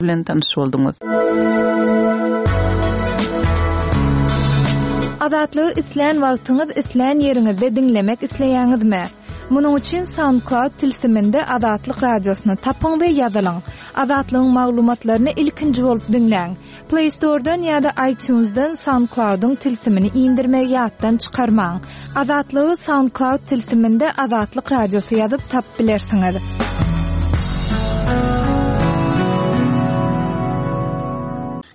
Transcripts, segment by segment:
Bilen tanyş bolduňyz. Azatlygy islän wagtyňyz, islän ýeriňizde diňlemek isleýäňizmi? Munuň üçin SoundCloud tilsiminde Azatlyk Radiosyny tapyň we ýazylyň. Azatlygyň maglumatlaryny ilkinji bolup diňläň. Play Store-dan ýa-da iTunes-dan SoundCloud-yň tilsimini indirmegi ýatdan çykarmaň. Azatlygy SoundCloud tilsiminde Azatlyk Radiosy ýazyp tapyp bilersiňiz.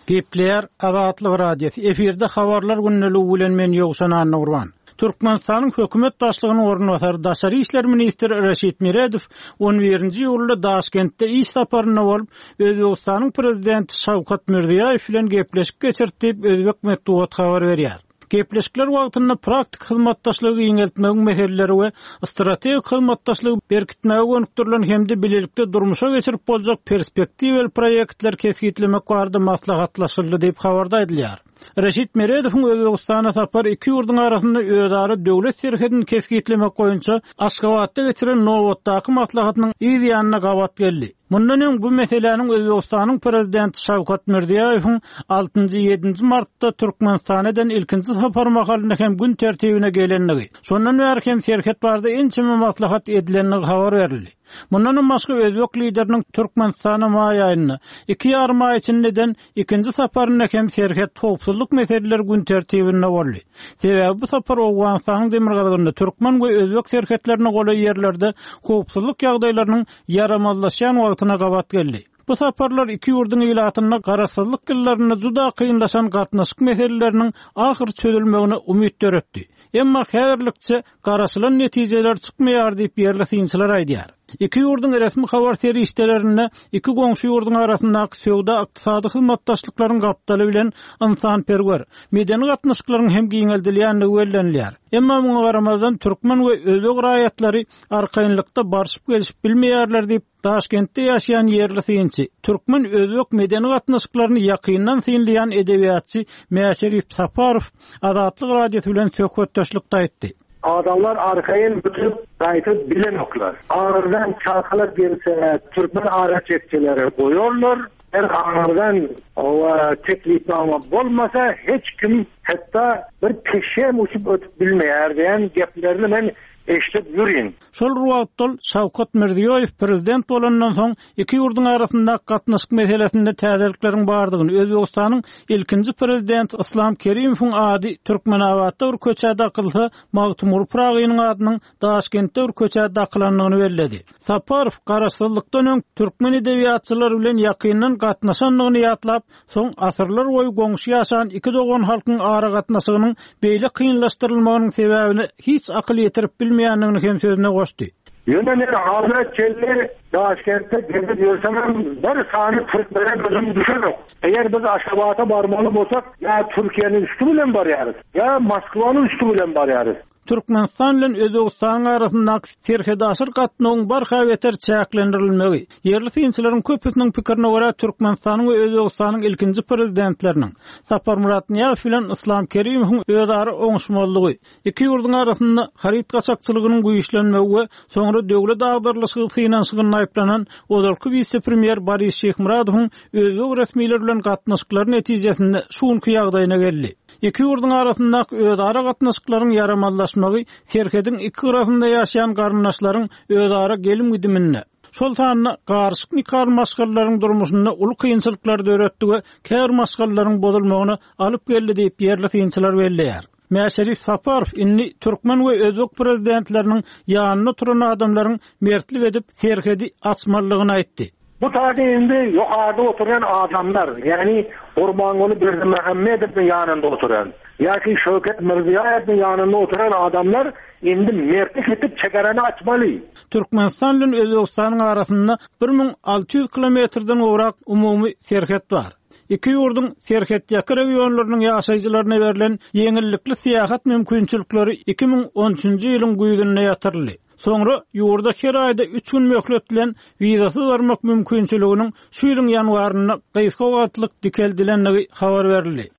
Gepleýär Azatlyk Radiosy, efirde Habarlar gündeligi bilen men Ýowşan Annagurban. Türkmenistanyň hökümet başlygynyň orunbasary, daşary işler ministri Reşit Meredow on birinji iýulda Daşkentde iş saparynda bolup, Özbegistanyň prezidenti Şawkat Mirziýaýew bilen gepleşik geçirdi diýip, özbek metbugaty habar berýär. Gepleşikler wagtynda praktik hyzmatdaşlygy giňeltmegiň meseleleri we strategik hyzmatdaşlygy berkitmäge gönükdirilen hem-de bilelikde durmuşa geçirip boljak perspektiwaly proýektleri kesgitlemek barada maslahatlaşyldy diýip, habarda aýdylýar. Reşit Meredowyň Özbegistana sapary iki ýurduň arasynda özara döwlet serhedini kesgitlemek boýunça Aşgabatda geçiren nobatdaky maslahatynyň yz ýanyna gabat geldi. Mundan öň bu meseläniň Özbegistanyň Prezidenti Şawkat Mirziýoýewiň altynjy, ýedinji martda Türkmenistana eden ilkinji sapary mahalynda hem gün tertibine gelendigi, şondan bäri hem serhet barada ençeme maslahat edilendigi habar berildi. Mundanam başga özbek lideriniň Türkmenistana maý aýynda, iki ýarym aý içinde eden Ikinji saparynda hem serhet howpsuzlyk meseleleri gün tertibinde boldy. Sebäbi bu sapar Owganystanyň demirgazygynda türkmen we özbek serhetlerine golaý ýerlerde howpsuzlyk ýagdaýlarynyň ýaramazlaşýan wagtyna gabat geldi. Bu saparlar iki ýurduň ilatynda garaşsyzlyk ýyllarynda juda kynlaşan gatnaşyk meseleleriniň ahyr çözülmegine umyt döretdi. Emma häzirlikçe garaşylan netijeler çykmaýar diýip ýerli synçylar aýdýar. Iki ýurduň resmi habar serişdelerinde iki goňşy ýurduň arasyndaky söwda-ykdysady hyzmatdaşlyklaryň gapdaly bilen ynsanperwer, medeni gatnaşyklaryň hem giňeldilýändigi bellenilýär. Emma muňa garamazdan türkmen we özbek raýatlary arkaýynlykda barşyp-gelşip bilmeýärler diýip, Daşkentde ýaşaýan ýerli synçy, türkmen-özbek medeni gatnaşyklaryny ýakyndan synlaýan edebiýatçy Mäşerip Saparow Azatlyk Radiosy bilen söhbetdeşlikde aýtdy. Adamlar arkaýyn ötüp gaýdyp bilenoklar. Aňyrdan çakylyk gelse türkmen araçekçileri goýarlar. Eger aňyrdan oba teklipnama bolmasa hiç kim hatda bir pişem uçup ötüp bilmeýär diýen geplerini men eşidip ýürin. Şol bir wagtda ol Şawkat Mirziýoýew prezident bolandan soň iki ýurduň arasyndaky gatnaşyk meselesinde täzelikleriň bardygyny, Özbegistanyň ilkinji prezidenti Yslam Kerimowyň ady Türkmenabatda bir köçä dakylsa, Magtymguly Pyragynyň adynyň Daşkentde bir köçä dakylandygyny belledi. Saparow garaşsyzlykdan öň türkmen edebiýatçylary bilen ýakyndan gatnaşandygyny ýatlap, Soň asyrlar boýy goňşy ýaşan iki dogan halkyň aragatnaşygynyň beýle kynlaşdyrylmagynyň sebäbine hiç akyl ýetirip bilmeýändigini hem sözüne goşdy. Ýöne men hazire çenli Daşkentde gezip ýörsemem bir sany türkmene gözüm düşenok. Eger biz Aşgabata barmaly bolsak ýa Türkiýäniň üsti bilen barýarys, ýa Moskwanyň üsti bilen barýarys. Türkmenistan bilen Özbegistanyň arasyndaky serhetaşyr gatnawyň barha beter çäklendirilmegi, ýerli synçylaryň köpüsiniň pikirine görä, Türkmenistanyň we Özbegistanyň ilkinji prezidentleriniň, Saparmyrat Nyýazow bilen Yslam Kerimowyň özara oňuşmazlygy, iki ýurduň arasynda haryt gaçakçylygynyň güýçlenmegi we soňra döwlet agdarylyşygy synanyşygynda aýyplanan ozalky wise-premýer Boris Şyhmyradowyň özbek resmileri bilen gatnaşyklary netijesinde şu günki ýagdaýyna geldi. Iki ýurduň arasyndaky özara gatnaşyklaryň ýaramazlaşmagy serhediň iki gyrasynda ýaşaýan garyndaşlaryň özara gelim-gidiminde, şol sanda garyşyk nikaly maşgalalaryň durmuşynda uly kynçylyklary döretdi we käbir maşgalalaryň bozulmagyna alyp geldi diýip, ýerli synçylar belleýär. Mäşerif Saparow indi türkmen we özbek prezidentleriniň ýanynda oturan adamlaryň mertlik edip, serhedi açmalydygyny aýtdy. Bu taýda indi ýokarda oturýan adamlar, ýagny Gurbanguly Berdimuhamedowyň ýanynda oturan ýa-ki Şöwket Mirziýaýewiň ýanynda oturan adamlar indi mertlik edip çegarany açmaly. Türkmenistan bilen Özbegistanyň arasynda 1600 kilometrden gowrak umumy serhet bar. Iki ýurduň serhetýaka regionlarynyň ýaşaýjylaryna berlen ýeňillikli syýahat mümkinçilikleri 2013-nji ýylyň güýzünde ýatyryldy. Soňra ýurda her aýda üç gün möhlet bilen wizasyz barmak mümkinçiliginiň şu ýylyň ýanwarynda gysga wagtlyk dikeldilendigi habar berildi.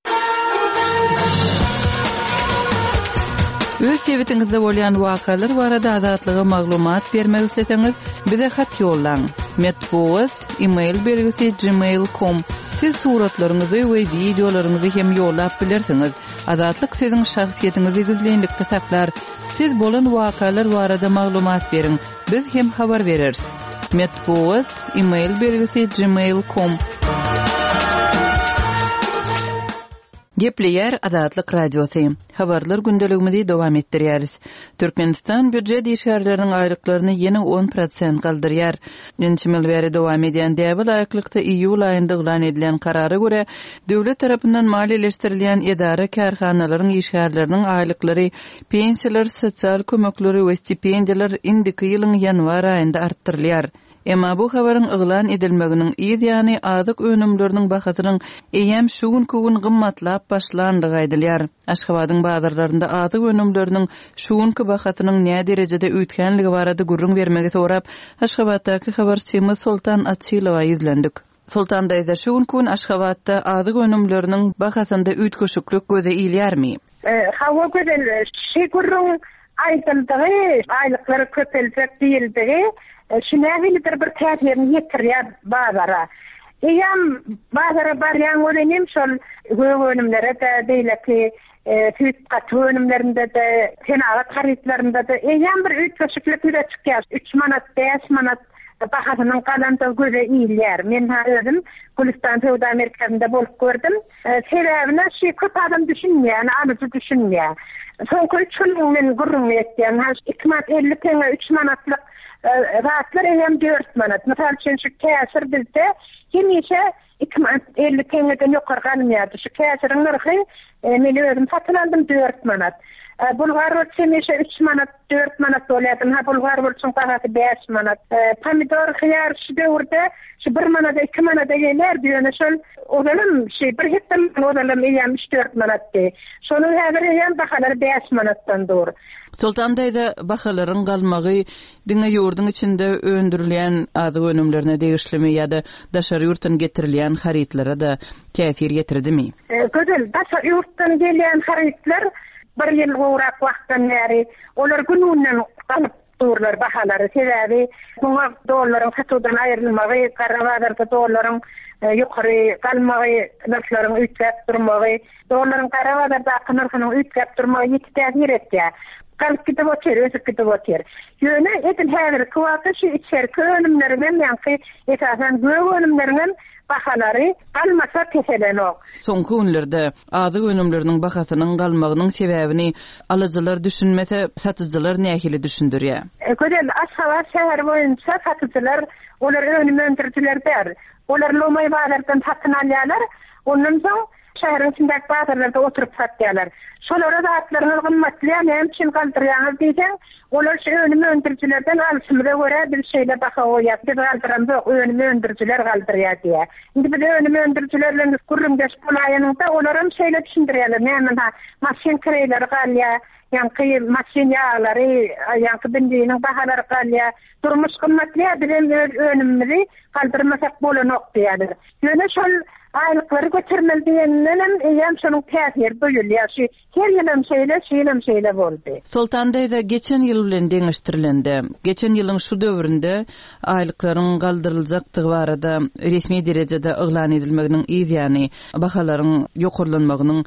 Öz sebitiňizde bolýan wakalar barada Azatlyga maglumat bermek isleseňiz, bize hat ýollaň. Metbugat, e-mail belgisi gmail com. Siz suratlaryňyzy we wideolaryňyzy hem ýollap bilersiňiz. Azatlyk siziň şahsyýetiňizi gizlinlikde saklar. Siz bolan wakalar barada maglumat beriň, biz hem habar bereris. Metbugat, e-mail belgisi gmail com. Gepleýär Azatlyk Radiosy. Habarlar gündeligimizi dowam etdirýäris. Türkmenistan býujet işgärleriniň aýlyklaryny ýene on prosent galdyrýar. Ençeme ýyl bäri dowam edýän däbe laýyklykda iýul aýynda yglan edilen karara görä, döwlet tarapyndan maliýeleşdirilýän edara-kärhanalaryň işgärleriniň aýlyklary, pensiýalar, sosial kömekleri we stipendiýalar indiki ýylyň ýanwar aýynda artdyrylýar. Emma bu habaryň yglan edilmeginiň yz ýany azyk önümleriniň bahasynyň eýýäm şu günki gün gymmatlap başlandygy aýdylýar. Aşgabadyň bazarlarynda azyk önümleriniň şu günki bahasynyň näderejede üýtgänligi barada gürrüň bermegi sorap, Aşgabatdaky habarçymyz Soltan Açylowa ýüzlendik. Soltan daýza, şu günki gün Aşgabatda azyk önümleriniň bahasynda üýtgeşiklik göze ilýärmi? Hawa Gözel, şi gürrüň aýdyldygy, aýlyklar köpeljek diýildigi şu nähilidir bir täsirini ýetirýär bazara. Eýýäm bazara barýaň welinim şol gök önümlere-de, beýleki süýt gatyk önümlerinde-de, senagat harytlarynda-da eýýäm bir üýtgeşiklik ýüze çykýar. Üç manat, bäş manat bahasynyň galandygy göze ilýär. Men-hä özüm Gülüstan söwda merkezinde bolup gördüm. Sebäbine şu köp adam düşünmeýär, ýani alyjy düşünmeýär. Soňky üç günüň men gürrüňini etýän. Ha iki manat 50 teňňe üç manatlyk zatlar eýýäm dört manat. Mysal üçin şu käşir bizde hemişe iki manat 50 teňňeden ýokary galmaýardy. Şu käşiriň nyrhy men özüm satyn aldym dört manat. Bulgar burç hemişe üç manat, dört manat bolýardy. Ha bulgar burçuň bahasy bäş manat. Pomidor, hyýar şu döwürde şu bir manada, iki manada gelýärdi. Ýöne şol ozalam şu bir hepde ozalam eýýäm üç-dört manatdy. Şonuň häzir eýýäm bahalary bäş manatdan dur. Soltan daýza, bahalaryň galmagy diňe ýurduň içinde öndürilýän azyk önümlerine degişlimi ýa-da daşary ýurtdan getirilýän harytlara-da täsir ýetirdimi? Gözel, daşary ýurtdan gelýän harytlar bir ýyl gowrak wagtdan bäri olar gün-günden galyp durlar bahalary. Sebäbi muňa dollaryň satuwdan aýrylmagy, gara bazarda dollaryň ýokary galmagy, nyrhlaryň üýtgäp durmagy, dollaryň gara bazardaky nyrhynyň üýtgäp durmagy ýiti täsir etýär. Galyp gidip otyr, ösüp gidip otyr. Ýöne edil häzirki wagtda şu içerki önümleriňem ýaňky esasan gök önümleriňem bahalary galmasa peselenok. Soňky günlerde azyk önümleriniň bahasynyň galmagynyň sebäbini alyjylar düşünmese, satyjylar nähili düşündirýär? Gözel, Aşgabat şäheri boýunça satyjylar, olar önüm öndürijiler däl. Olar lomaý bazardan satyn alýarlar, ondan soň Şäheriň içindäki bazarlarda oturyp satýarlar. Şolara zatlaryňyz gymmatlaýar, näme üçin galdyrýaňyz diýseň, olar şu önüm öndürijilerden alşymyza görä biz şeýle baha goýýas, biz galdyramzok, önüm öndürijiler galdyrýar diýýär. Indi biz önüm öndürijiler bilen gürrüňdeş bolaýanyňda, olaram şeýle düşündirýärler, näme ha, maşyn kireýleri galýar, ýaňky maşyn ýaglary, ýaňky benziniň bahalary galýar, durmuş gymmatlaýar, bizem öz önümimizi galdyrmasak bolanok diýýärler. Ýöne şol aýlyklary götermeli diýenindenem eýýäm şonuň täsiri duýulýar. Şu her ýylam şeýle, şu ýylam şeýle boldy. Soltan daýza, geçen ýyl bilen deňeşdirilende, geçen ýylyň şu döwründe aýlyklaryň galdyryljakdygy barada resmi derejede yglan edilmeginiň yz ýany, bahalaryň ýokarlanmagynyň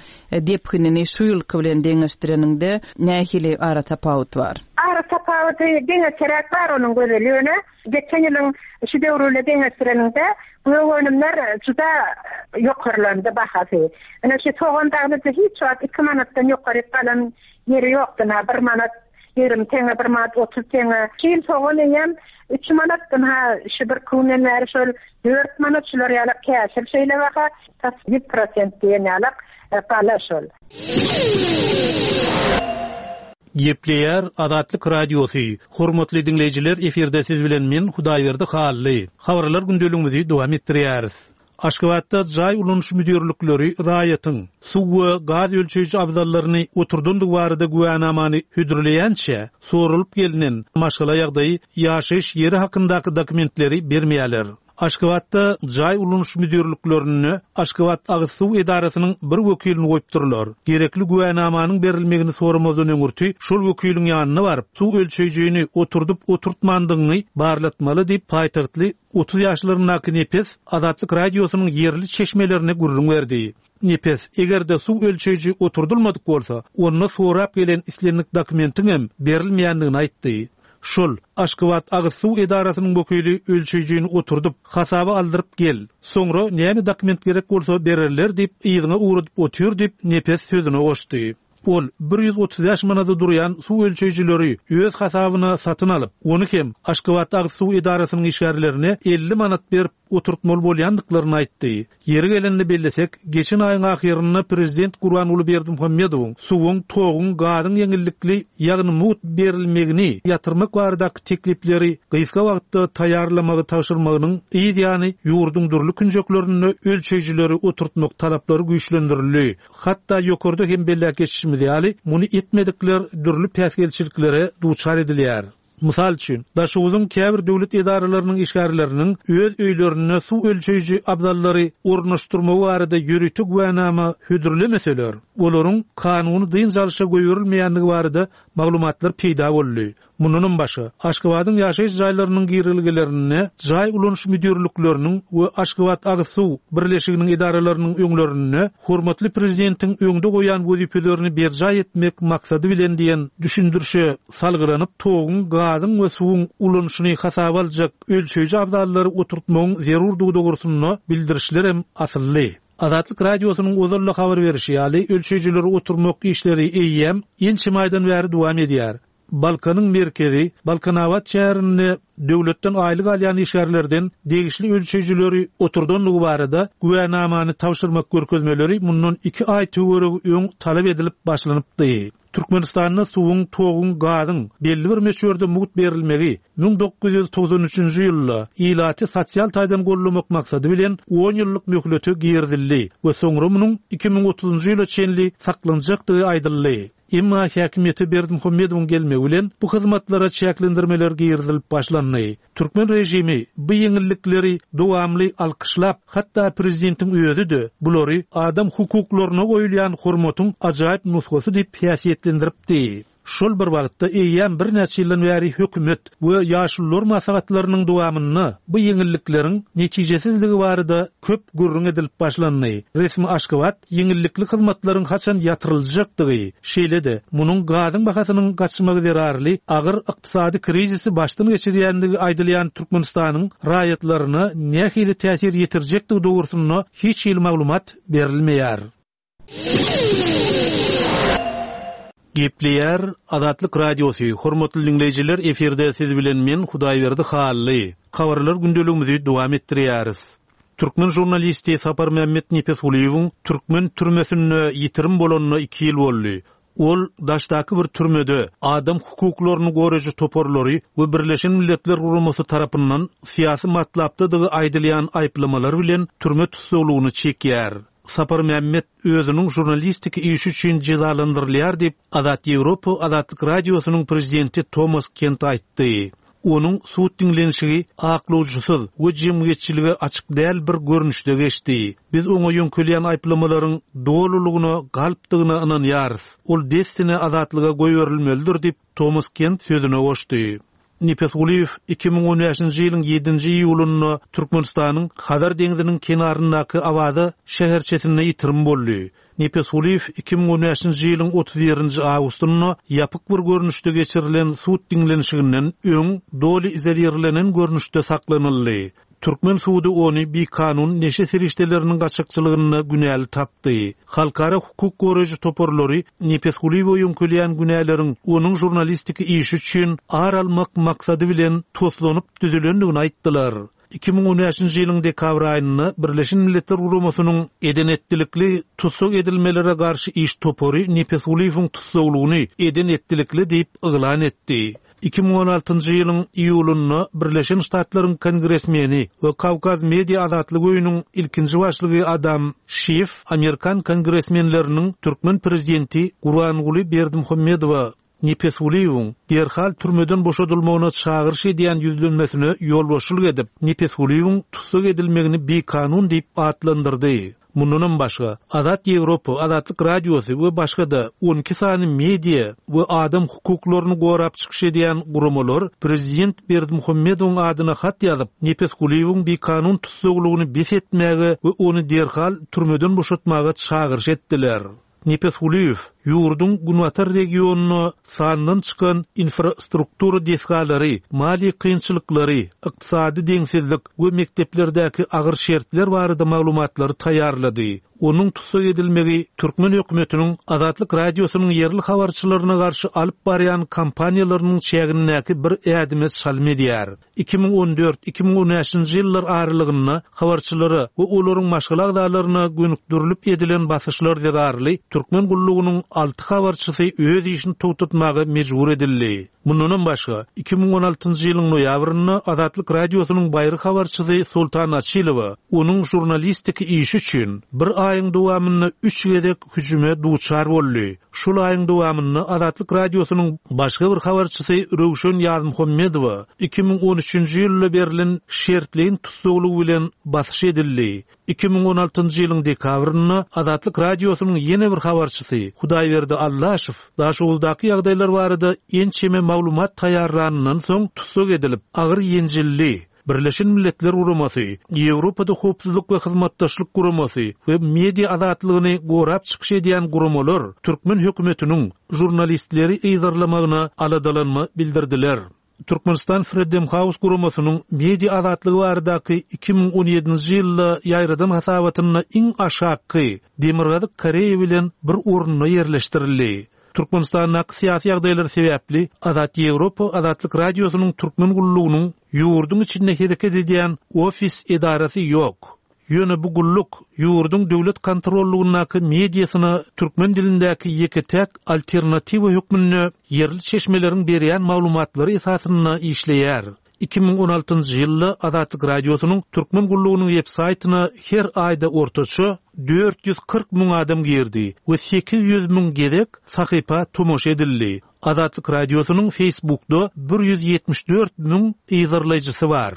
depginini şu ýylky bilen deňeşdireniňde nähili aratapawut bar? Aratapawudy deňeçeräk bar onuň Gözel, ýöne Geçen ýylyň şu döwri bilen deňeşdireniňde, gök önümler juda ýokarlandy bahasy. Ine şu sogan dagy hiç wagt iki manatdan ýokaryk galan ýeri ýokdy, ynha bir manat 20 teňňe, bir manat 30 teňňe. Şu ýyl sogan eýýäm üç manat, ynha şu birki günden bäri şol dört manat, şular ýalak käşir şeýle baha, tas 100% diýen ýalak gala şol. Gepleýär Azatlyk Radiosy, Hormatly diňleýjiler efirde siz bilen men Hudaýberdi Hally. Habarlar gündeligimizi dowam etdirýäris. Aşgabatda jaý ulanyş müdirlikleri raýatyň suw we gaz ölçeýji abzallaryny oturdandygy barada güwänamany hödürleýänçä, soralyp gelnen maşgala ýagdaýy, ýaşaýyş ýeri hakyndaky dokumentleri bermeýärler. Aşgabatda jaý ulanyş müdirliklerinde Aşgabat agyz suw edarasynyň bir wekilini goýupdyrlar. Gerekli güwänamanyň berilmegini soramazdan öňürti şol wekiliň ýanyna baryp, suw ölçeýjini oturdyp-oturtmandygyňy barlatmaly diýip, paýtagtly 30 ýaşlaryndaky Nepes Azatlyk Radiosynyň ýerli çeşmelerine gürrüň berdi. Nepes, eger-de suw ölçeýji oturdylmadyk bolsa, onda sorap gelen islendik dokumentiňem berilmeýändigini aýtdy. Şol, Aşgabat agyz suw edarasynyň wekili ölçeýjini oturdyp, hasaba aldyryp gel. Soňra näme dokument gerek bolsa bererler diýip, yzyňa ugradyp otyr diýip, Nepes sözüne goşdy. Ol 135 manada durýan suw ölçeýjileri öz hasabyna satyn alyp, ony hem Aşgabat agyz suw edarasynyň işgärlerine 50 manat berip oturtmaly bolýandyklaryny aýtdy. Ýeri gelende bellesek, geçen aýyň ahyrynda prezident Gurbanguly Berdimuhamedowyň suwuň, toguň, gazyň ýeňillikli, ýagny mugt berilmegini ýatyrmak baradaky teklipleri gysga wagtda taýýarlamagy tabşyrmagynyň yz ýany ýurduň dürli künjeklerinde ölçeýjileri oturtmak talaplary güýçlendirildi. Hatda ýokarda hem belläp geçişimiz ýaly, muny etmedikler dürli päsgelçiliklere duçar edilýär. Mysal üçin, Daşoguzyň käbir döwlet edaralarynyň işgärleriniň öz öýlerinde suw ölçeýji abzallary ornaşdyrmagy barada ýörite güwänama hödürlemeseler, olaryň kanuny dynç alşa goýberilmeýändigi barada maglumatlar peýda boldy. Mundanam başga, Aşgabadyň ýaşaýyş jaýlarynyň girelgelerinde jaý ulanyş müdirlikleriniň we Aşgabat agyz suw birleşiginiň edaralarynyň öňlerinde hormatly Prezidentiň öňde goýan wezipelerini berjaý etmek maksady bilen diýen düşündirişe salgylanyp, toguň, gazyň we suwuň ulanyşyny hasaba aljak ölçeýji abzallary oturtmagyň zerurdygy dogrusynda bildirişlerem asyldy. Azatlyk Radiosynyň ozal-da habar berişi ýaly, ölçeýjileri oturmak işleri eýýäm ençeme aýdan bäri dowam edýär. Balkanyň merkezi, Balkanabat şäherinde döwletden aýlyk alýan işgärlerden degişli ölçeýjileri oturdandygy barada güwänamany tabşyrmak görkezmeleri mundan iki aý töweregi öň talap edilip başlanypdy. Türkmenistanda suwuň, toguň, gazyň belli bir möçberde mugt berilmegi 1993-nji ýylda ilaty sosial taýdan goldamak maksady bilen on ýyllyk möhlete girizildi we soňra munuň 2030-njy ýyla çenli saklanjakdygy aýdyldy. Emma häkimiýete Berdimuhamedowyň gelmegi bilen bu hyzmatlara çäklendirmeler girizilip başlandy. Türkmen režimi bu ýeňillikleri dowamly alkyşlap, hatda prezidentiň özi-de bulary adam hukuklaryna goýulýan hormatyň ajaýyp nusgasy diýip häsiýetlendiripdi. Şol bir wagtda eýýäm birnäçe ýyldan bäri hökümet we ýaşulular maslahatlarynyň dowamynda bu ýeňillikleriň netijesizligi barada köp gürrüň edilip başlandy. Resmi Aşgabat ýeňillikli hyzmatlaryň haçan ýatyryljakdygy, şeýle-de, munuň gazyň bahasynyň gaçmagy zerarly agyr ykdysady krizisi başdan geçirýändigi aýdylýan Türkmenistanyň raýatlaryna nähili täsir ýetirjekdigi dogrusynda hiç hili maglumat berilmeýär. Gepleýär Azatlyk Radiosy, Hormatly diňleýjiler, efirde siz bilen men, Hudaýberdi Hally. Habarlar gündeligimizi dowam etdirýäris. Türkmen žurnalisti Saparmämmet Nepesgulyýewiň türkmen türmesinde ýitirim bolanyna iki ýyl boldy. Ol daşdaky bir türmede adam hukuklaryny goraýjy toparlary we Birleşen Milletler Guramasy tarapyndan syýasy matlapdadygy aýdylýan aýyplamalar bilen türme tussaglygyny çekýär. Saparmämmet özüniň žurnalistiki işi üçin jezalandyrylýar diýip, Azat Ýewropa Azatlyk Radiosynyň prezidenti Tomas Kent aýtdy. Onuň sud diňlenişigi aklawjysyz we jemgyýetçilige açyk däl bir görnüşde geçdi. Biz oňa ýöňkelýän aýyplamalaryň dolulygyna galpdygyna ynanýarys. Ol dessine azatlyga goýberilmelidir diýip, Tomas Kent sözüne goşdy. Nepesgulyýew 2015-nji ýylyň ýedinji iýulynda Türkmenistanyň Hazar deňziniň kenaryndaky Awaza şäherçesinde ýitirim boldy. Nepesgulyýew 2015-nji ýylyň 31-nji awgustynda ýapyk bir görnüşde geçirilen sud diňlenişiginden öň doly izolirlenen görnüşde saklanyldy. Türkmen sudy ony bikanun neşe serişdeleriniň gaçakçylygynda günäli tapdy. Halkara hukuk goraýjy toparlary Nepesgulyýewe ýöňkelýän günäleriň onuň žurnalistiki işi üçin ar almak maksady bilen toslanyp düzülendigini aýtdylar. 2015-nji ýylyň dekabr aýynda Birleşen Milletler Guramasynyň eden-etdilikli tussag edilmelere garşy iş topary Nepesgulyýewiň tussaglygyny eden-etdilikli diýip yglan etdi. 2016-njy ýylyň iýulynda Birleşen Ştatlaryň kongresmeni we Kawkaz Media Azatlyk öýüniň ilkinji başlygy Adam Şiff amerikan kongresmenleriniň türkmen prezidenti Gurbanguly Berdimuhamedowa. Nepesgulyýewiň derhal türmeden boşadylmagyna çagyryş edýän ýüzlenmesine ýolbaşçylyk edip, Nepesgulyýewiň tussag edilmegini bikanun diýip atlandyrdy. Mundanam başga, Azat Ýewropa, Azatlyk Radiosy we başga-da 12 sany media we adam hukuklaryny gorap çykyş edýän guramalar prezident Berdimuhamedowyň adyna hat ýazyp, Nepesgulyýewiň bikanun tussaglygyny bes etmäge we ony derhal türmeden boşatmaga çagyryş etdiler. Nepesgulyýew ýurduň günbatar regionynda sandan çykan infrastruktura desgalary, maliýe kynçylyklary, ykdysady deňsizlik we mekdeplerdäki agyr şertler barada maglumatlary taýýarlady. Onuň tussag edilmegi türkmen hökümetiniň Azatlyk Radiosynyň ýerli habarçylaryna garşy alyp barýan kampaniýalarynyň çägindäki bir ädime çalym edýär. 2014, 2015-nji ýyllar aralygynda habarçylara we olaryň maşgala agzalaryna gönükdirilip edilen basyşlar zerarly türkmen gullugynyň alty habarçysy öz işini togtatmaga mejbur edildi. Mundanam başga, 2016-njy ýylyň noýabrynda Azatlyk Radiosynyň baýry habarçysy Soltan Açylowa onuň žurnalistiki işi üçin bir aýyň dowamynda üç gezek hüjüme duçar boldy. Şol aýyň dowamynda Azatlyk Radiosynyň başga bir habarçysy Röwşen Ýazmuhammedowa 2013-nji ýylda berlen şertleýin tussaglygy bilen basyş edildi. 2016-njy ýylyň dekabrynda Azatlyk Radiosynyň ýene bir habarçysy Hudaýberdi Allaşow Daşoguzdaky ýagdaýlar barada ençeme maglumat taýýarlanyndan soň tussag edilip, agyr ýenjildi. Birleşen Milletler Guramasy, Ýewropada Howpsuzlyk we Hyzmatdaşlyk Guramasy we media azatlygyny gorap çykyş edýän guramalar türkmen hökümetiniň žurnalistleri yzarlamagyna aladalanma bildirdiler. Türkmenistan Freedom House guramasynyň media azatlygy baradaky 2017-nji ýylda ýaýradan hasabatynda iň aşakky Demirgazyk Koreýa bilen bir orunda ýerleşdirildi. Türkmenistandaky syýasy ýagdaýlar sebäpli Azat Ýewropa Azatlyk Radiosynyň Türkmen gullugynyň ýurduň içinde hereket edýän ofis edarasy ýok. Ýöne bu gulluk ýurduň döwlet kontrollugyndaky mediasyna türkmen dilindäki ýeke-täk alternatiwa hökmünde ýerli çeşmeleriň berýän maglumatlary esasynda işleýär. 2016-njy ýylda Azatlyk Radiosynyň Türkmen gullugynyň web-saýtyna her aýda ortaça 440 müň adam girdi we 800 müň gezek sahypa tomaşa edildi. Azatlyk Radiosynyň Facebookda 174 müň yzarlaýjysy bar.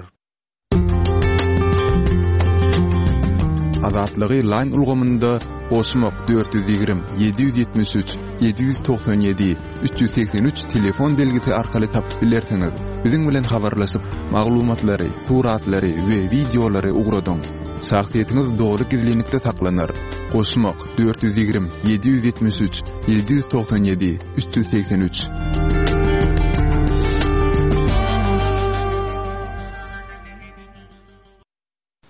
Azatlygy Line ulgamynda goşmak 420 773 797 383 telefon belgisi arkaly tapyp bilersiňiz. Biziň bilen habarlaşyp, maglumatlary, suratlary we wideolary ugradyň. Şahsyýetiňiz doly gizlinlikde saklanar. Goşmak 420 773 797 383.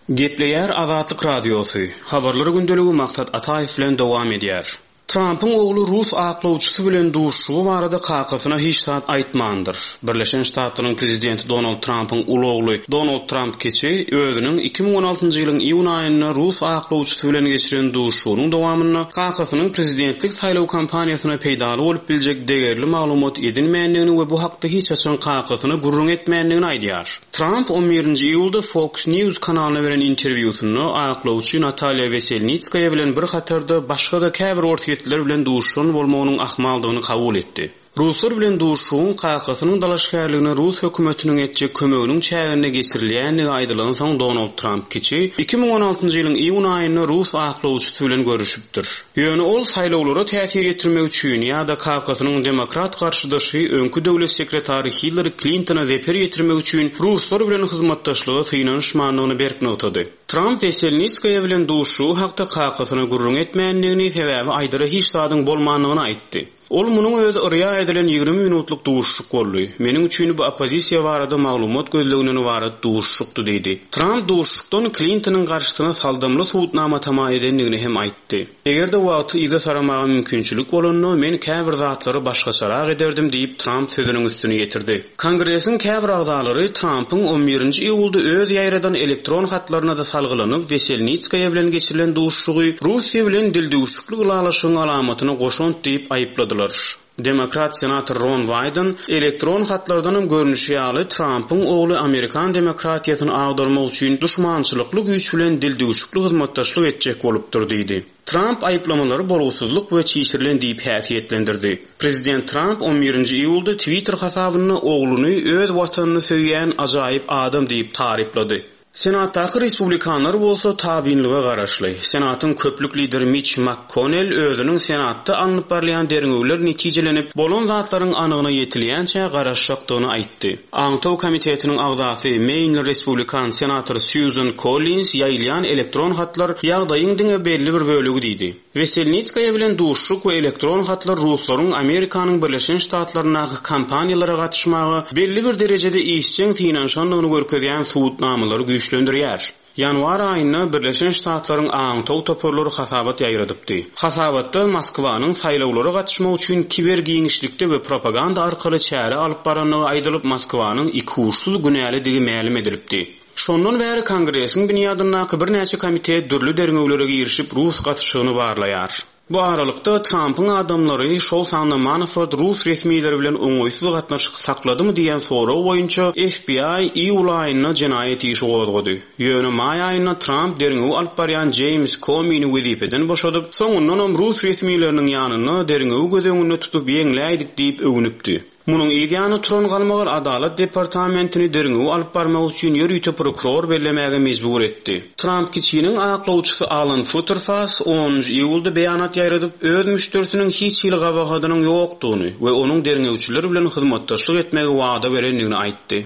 Gepleýär Azatlyk Radiosy, Habarlar gündeligi Maksat Ataýew bilen dowam edýär. Trampyň ogly rus aklawçysy bilen duşuşygy barada kakasyna hiç zat aýtmandyr. Birleşen Ştatlaryň prezidenti Donald Trampyň uly ogly Donald Tramp kiçi özüniň 2016-njy ýylyň iýun aýynda rus aklawçysy bilen geçiren duşuşygynyň dowamynda kakasynyň prezidentlik saýlaw kampaniýasyna peýdaly bolup biljek degerli maglumat edinmändigini we bu hakda hiç haçan kakasyna gürrüň etmändigini aýdýar. Tramp on birinji iýulda Fox News kanalyna beren interwýusynda aklawçy Natalýa Weselnitskaýa bilen bir hatarda başga-da käbir orsýetliler bilen duşuşan bolmagynyň ahmaldygyny kabul etdi. Ruslar bilen duşuşygyň kakasynyň dalaşgärligine rus hökümetiniň etjek kömeginiň çäginde geçirilýändigi aýdylansoň Donald Tramp kiçi 2016-njy ýylyň iýun aýynda rus aklawçysy bilen görüşipdir. Ýöne ol saýlawlara täsir ýetirmek üçin ýa-da kakasynyň demokrat garşydaşy öňki döwlet sekretary Hillari Klintona zeper ýetirmek üçin ruslar bilen hyzmatdaşlyga synanyşmandygyny berk nygtady. Tramp Weselnitskaýa bilen duşuşygy hakda kakasyna gürrüň etmändigini, sebäbi aýdara hiç zadyň bolmandygyny aýtdy. Ol munuň özi yrýa edilen 20 minutlyk duşuşyk boldy. Meniň üçin bu oppozisiýa barada maglumat gözleginden ybarat duşuşykdy diýdi. Tramp duşuşykdan Klintonyň garşysyna saldamly subutnama tama edendigini hem aýtdy. Eger-de wagty yza saramaga mümkinçilik bolanda, men käbir zatlary başgaçarak ederdim diýip, Tramp sözüniň üstüni ýetirdi. Kongresiň käbir agzalary Trampyň on birinji iýulda öz ýaýradan elektron hatlaryna-da salgylanyp, Weselnitskaýa bilen geçirilen duşuşygy Russiýa bilen dildüwşükli ylalaşygyň alamatyna goşant diýip aýypladylar. Demokrat senator Ron Waýden, elektron hatlardanam görnüşi ýaly, Trampyň ogly amerikan demokratiýasyny agdarmak üçin duşmançylykly güýç bilen dildüwşükli hyzmatdaşlyk etjek bolupdyr diýdi. Tramp aýyplamalary bolgusyzlyk we çişirilen diýip häsiýetlendirdi. Prezident Tramp on birinji iýulda Twitter hasabynda ogluny öz watanyny söýýän ajaýyp adam diýip taryplady. Senatdaky respublikanlar bolsa tabynlyga garaşly. Senatyň köplük lideri Mitç MakKonnel özüniň Senatda alnyp barylýan derňewler netijelenip, bolan zatlaryň anygyna ýetilýänçä garaşjakdygyny aýtdy. Aňtaw komitetiniň agzasy, meýnli respublikan senator Sýuzan Kollins ýaýylýan elektron hatlar ýagdaýyň diňe belli bir bölegi diýdi. Weselnitskaýa bilen duşuşyk we elektron hatlar ruslaryň Amerikanyň Birleşen Ştatlaryndaky kampaniýalara gatyşmaga belli bir derejede işjeň synanyşandygyny görkezýän subutnamalary güýçlendirýär. Ýanwar aýynda Birleşen Ştatlaryň aňtaw toparlary hasabat ýaýradypdy. Hasabatda Moskwanyň saýlawlara gatyşmak üçin kiber giňişlikde we propaganda arkaly çäre alyp barandygy aýdylyp, Moskwanyň ikuçsuz günälidigi mälim edilipdi. Şondan bäri Kongresiň binýadyndaky birnäçe komitet dürli derňewlere girişip, rus gatyşygyny barlaýar. Bu aralykda, Trampyň adamlary, şol sanda Manafort rus resmileri bilen oňaýsyz gatnaşyk sakladymy diýen sorag boýunça FBI iýul aýynda jenaýat işi gozgady. Ýöne maý aýynda Tramp derňewi alyp barýan Jeýms Komini wezipeden boşadyp, soňundanam rus resmileriniň ýanynda derňewi göz öňünde tutup ýeňläýdik diýip öwünipdi. Munuň yz ýany turan galmagal Adalat departamentini derňewi alyp barmak üçin ýörite prokuror bellemäge mejbur etdi. Tramp kiçiniň aklawçysy Alan Futerfas onunjy iýulda beýanat ýaýradyp, öz müşderisiniň hiç hili gabahadynyň ýokdugyny we onuň derňewçiler bilen hyzmatdaşlyk etmegi wada berendigini aýtdy.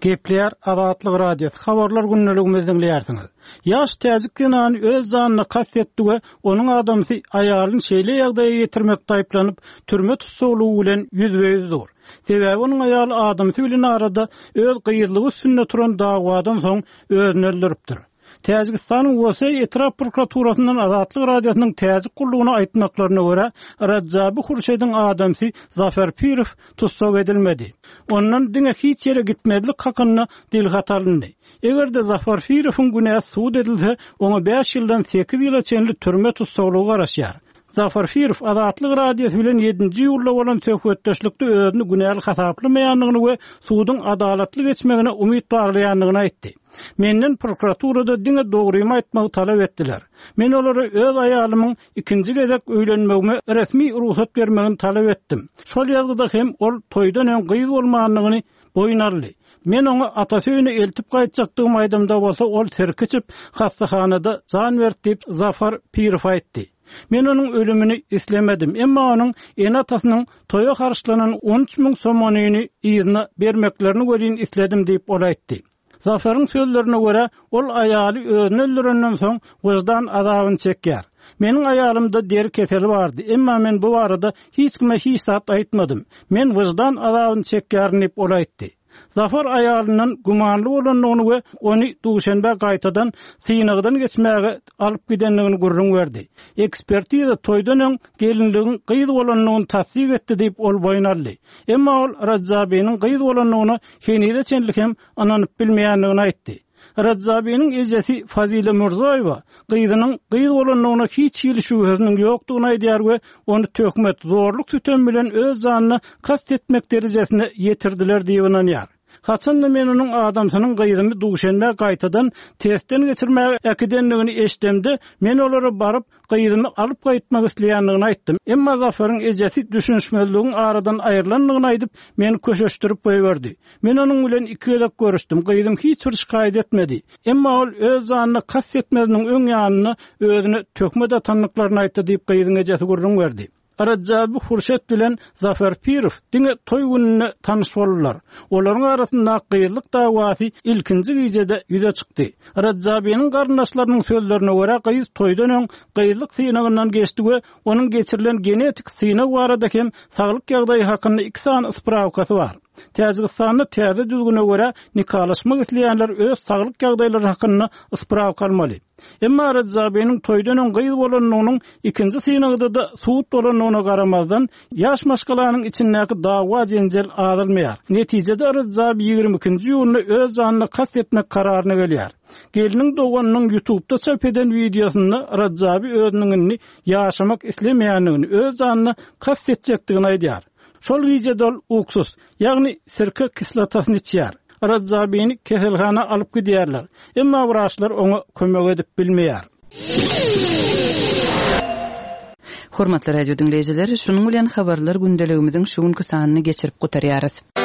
Gepleýär Azatlyk Radiosy, Habarlar gündeligimizi diňleýärsiňiz. Ýaş täjik zenany öz janyna kast etdi we onuň adamsy aýalyny şeýle ýagdaýa ýetirmekde aýyplanyp, türme tussaglygy bilen ýüzbe-ýüz dur. Sebäbi onuň aýaly adamsy bilen arada öz gyzlygy üstünde turan dawadan soň özüni öldüripdir. Täjigistanyň Woseý etrap prokuraturasyndan Azatlyk Radiosynyň Täjik gullugyna aýtmaklaryna görä, Radjabi Hurşediň adamsy Zafar Pirow tussag edilmedi. Ondan diňe hiç ýere gitmezlik hakynda dilhat alyndy. Eger-de Zafar Pirowyň günäsi subut edilse, oňa bäş ýyldan sekiz ýyla çenli türme tussaglygy garaşýar. Zafar Pirow Azatlyk Radiosy bilen ýedinji iýulda bolan söhbetdeşlikde özüni günäli hasaplamaýandygyny we suduň adalatly geçmegine umyt baglaýandygyny aýtdy. Menden prokuraturada diňe dogrymy aýtmagy talap etdiler. Men olara öz aýalymyň ikinji gezek öýlenmegime resmi rugsat bermegini talap etdim. Şol ýazgyda hem ol toýdan öň gyz bolmandygyny boýun aldy. Men oňa atasy öýüne eltip gaýtjakdygymy aýdamda bolsa ol sirk içip, hassahanada jan berdi diýip, Zafar Pirow aýtdy. Men onuň ölümini islemedim, emma onuň ene-atasynyň toýa harçlanan 13 müň somonyny yzyna bermeklerini welin isledim diýip, ol aýtdy. Zafaryň sözlerine görä, ol aýaly özüni öldürenden soň wyždan azabyny çekýär. Meniň aýalymda deri keseli bardy, emma men bu barada hiç kime hiç zat aýtmadym. Men wyždan azabyny çekýärin diýip, ol aýtdy. Zafar aýalyndan gümanly bolandygyny we ony Duşenbä gaýtadan synagdan geçmäge alyp gidendigini gürrüň berdi. Ekspertiza toýdan öň gelinligiň gyz bolandygyny tassyk etdi diýip, ol boýun aldy. Emma ol Rajabiniň gyz bolandygyna henize çenli hem ynanyp bilmeýändigini aýtdy. Rajabiniň ejesi Fazile Mürzoýewa gyzynyň gyz bolandygyna hiç hili şübhesiniň ýokdugyny aýdýar we ony töhmet, zorluk-sütem bilen öz janyna kast etmek derejesine ýetirdiler diýip ynanýar. Haçan-da men onuň adamsynyň gyzymy Duşenbä gaýtadan testden geçirmäge äkidendigini eşidemde, men olara baryp, gyzymy alyp gaýtmak isleýändigini aýtdym. Emma Zafaryň ejesi düşünişmezligiň aradan aýrylandygyny aýdyp, meni köşeşdirip goýberdi. Men onuň bilen iki gezek görüşdim, gyzym hiç bir şikaýat etmedi. Emma ol öz janyna kast etmeziniň öň ýanynda özüne töhmet atandyklaryny aýtdy diýip, gyzyň ejesi gürrüň berdi. Rajaby Hurşet bilen Zafar Pirow diňe toý gününde tanyş boldular. Olaryň arasyndaky gyzlyk dawasy ilkinji gijede ýüze çykdy. Rajabynyň garyndaşlarynyň sözlerine görä, gyz toýdan öň gyzlyk synagyndan geçdi we onuň geçirilen genetik synag barada hem saglyk ýagdaýy hakynda iki sany sprawkasy bar. Täjigistanda täze düzgüne görä, nikalaşmak isleýänler öz saglyk ýagdaýlary hakynda sprawka almaly. Emma Radžabiniň toýdan öň gyz bolandygynyň ikinji synagda-da subut bolandygyna garamazdan, ýaş maşgalanyň içindäki dawa-jenjel azalmaýar. Netijede Radžabi 22-nji iýunda öz janyna kast etmek kararyna gelýär. Gelniň doganynyň ýutubda çap eden wideosynda Radžabi özüniň indi ýaşamak islemeýändigini, öz janyna kast etjekdigini aýdýar. Şol gije-de ol uksus, ýagny sirke kislotasyny içýär. Radžabini keselhana alyp gidýärler. Emma wraçlar oňa kömek edip bilmeýär. Hormatly radio diňleýjiler, şunuň bilen habarlar gündeligimiziň şu günki sanyny geçirip gutarýarys.